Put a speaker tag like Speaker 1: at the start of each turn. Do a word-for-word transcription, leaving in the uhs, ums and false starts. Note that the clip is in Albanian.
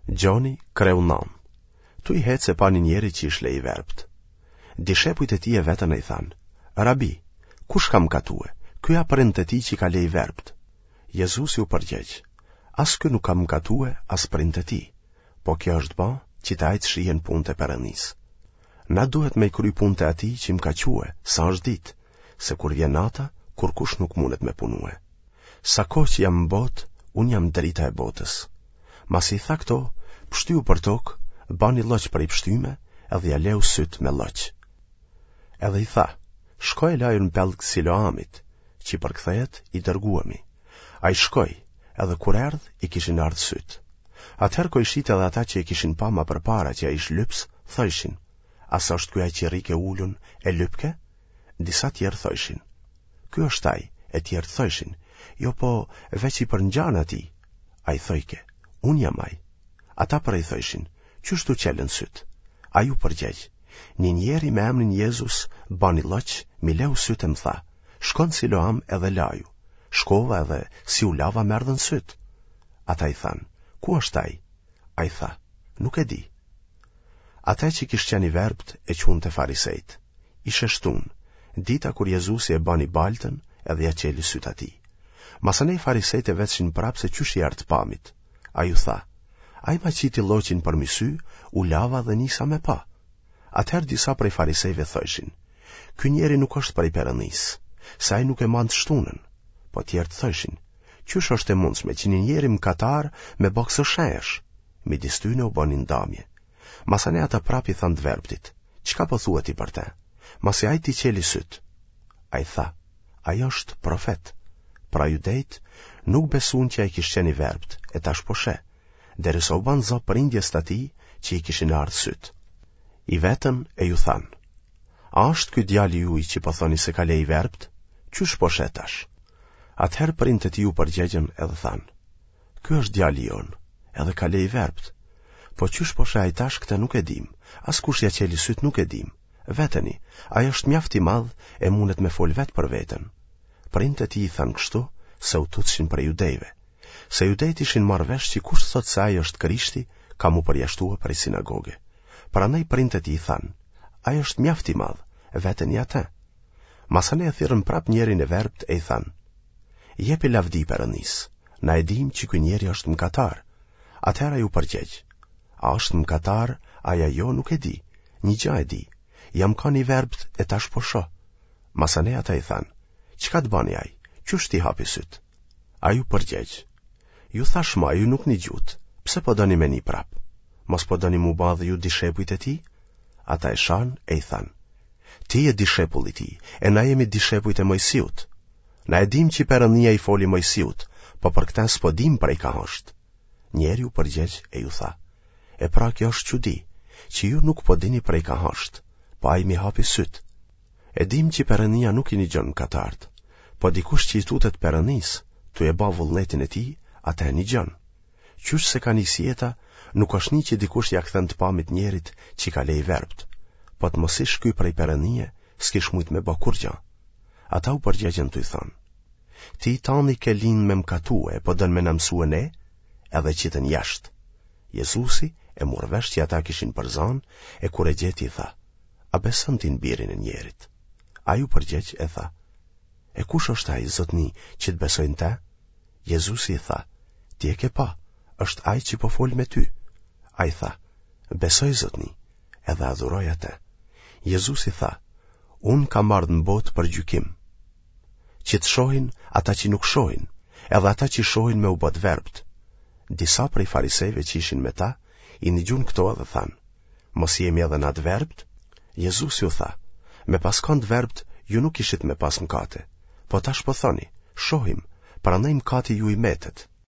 Speaker 1: Gjoni kreu nan. Tuj hecë e pa një njeri që ish le i verbët. Dishepujt e tij e vetën e i thanë, Rabi, kush ka mkatue, ky a prindët e tij që ka le i verbët? Jezusi u përgjegj, as ky nuk ka mkatue, as prindët e tij, po kjo është ba që te ai të shihen punët e Perëndisë. Na duhet me i kry punët e atij që më ka çue, sa është ditë, se kur vjen nata, kurkush nuk mundet me punue. Sa kohë që jam në botë, unë jam drita e botës. Masi i tha këto, pshtyu për tokë, bani lloq prej pshtyme, edhe ia leu sytë me lloq. Edhe i tha, shko e laju në pellg Siloamit, që përkthehet i dërguemi. Ai shkoi, edhe kur erdh, i kishin ardhë sytë. Atëherë kojshitë edhe ata që e kishin pa ma përpara që ai ish lyps, thojshin, a s'është ky ai që rrike ulun e lypke? Disa tjerë thojshin, ky është ai, e tjerë thojshin, jo po veç i përngjan atij. Ai thojke, unë jam ai. Ata pra i thojshin, qysh t'u çelën sytë? Ai u përgjegj, një njeri me emrin Jezus bani lloq, m'i leu sytë e më tha, shko në Siloam edhe laju. Shkova edhe si u lava më erdhën sytë. Ata i thanë, ku është ai? Ai tha, nuk e di. Ata që kish qenë i verbët e çunë te farisejtë. Ish e shtunë, dita kur Jezusi e bani baltën edhe ia çeli sytë atij. Masanej farisejtë e vetshin prapë se qysh i erdh të pamit. Ai u tha, ai ma qiti lloqin përmi sy, u lava dhe nisa me pa. Atëherë disa prej farisejve thojshin, ky njeri nuk është prej Perëndisë, se ai nuk e man të shtunën. Po tjerët thojshin, qysh është e mundshme që një njeri mëkatar me ba këso shenjash? Midis tyne u bë një ndamje. Masanej ata prapë i thanë të verbtit, çka po thua ti për te? Masi ai t'i çeli sytë. Ai tha, ai është profet. Pra judejt nuk besun që ai kish qenë i verbët, e tash po sheh, derisa u ban za prindjes të atij që i kishin ardhë sytë. I vetën e ju thanë, a është ky djali juj që po thoni se ka le i verbët? Qysh po sheh tash? Atëherë prindët e tij u përgjegjën edhe thanë, ky është djali jonë, edhe ka le i verbët. Po qysh po sheh ai tash këtë nuk e dim, as kush ia çeli sytë nuk e dim. Veteni, ai është mjaft i madh e mundet me fol vetë për veten. Prindët e tij i thanë kështu se u tutshin prej judejve. Se judejt ishin marrë vesh që kush thotë se ai është Krishti, ka m'u përjashtue prej sinagoge. Prandaj prindët e tij i thanë, ai është mjaft i madh, veteni atë. Masanej e thirrën prap njerin e verbët e i thanë, jepi lavdi Perëndisë, na e dim që ky njeri është mëkatar. Atëherë ai u përgjegj, a është mëkatar, ai a jo nuk e di, një gjë e di, jam kanë i verbët e tash po shoh. Masanej ata i thanë, çka të bani ai, qysh t'i hapi sytë? Ai u përgjegj, ju thash ma, ju nuk nigjutë, pse po doni me ni prap? Mos po doni m'u ba dhe ju dishepujt e tij? Ata e shanë e i thanë, ti je dishepull i tij, e na jemi dishepujt e Mojsiut. Na e dim që Perëndia i foli Mojsiut, po për këtë s'po dim prej ka është. Njeri u përgjegj e ju tha, e pra kjo është çudi, që ju nuk po dini prej ka është, po ai m'i hapi sytë. E dim që Perëndia nuk i nigjon mëkatarët, po dikush që i tutet Perëndisë, tu e ba vullnetin e tij, atë e nigjon. Qysh se ka nis jeta, nuk është ni që dikush ia kthen të pamit njerit që ka le i verbët. Po të mos ish ky prej Perëndie, s'kish mujt me ba kurrgjë. Ata u përgjegjën tu i thënë, ti i tani ke lind me mkatue, po don me na mësue ne, edhe qitën jashtë. Jezusi e mur vesh që ata kishin përzanë, e kur e gjeti i tha, a beson ti në birin e njerit? Ai u përgjegj e tha, e kush është ai, zotni, që të besoj në te? Jezusi i tha, ti e ke pa, është ai që po fol me ty. Ai tha, besoj zotni, edhe adhuroi atë. Jezusi tha, unë kam ardhë në botë për gjykim, që të shohin ata që nuk shohin, edhe ata që shohin me u bë të verbët. Disa prej farisejve që ishin me ta, i nigjun këto edhe thanë, mos jemi edhe na të verbët? Jezusi u tha, me pas kanë të verbët, ju nuk ishit me pas mëkate, po tash po thoni, shohim, prandaj mëkati juj metet.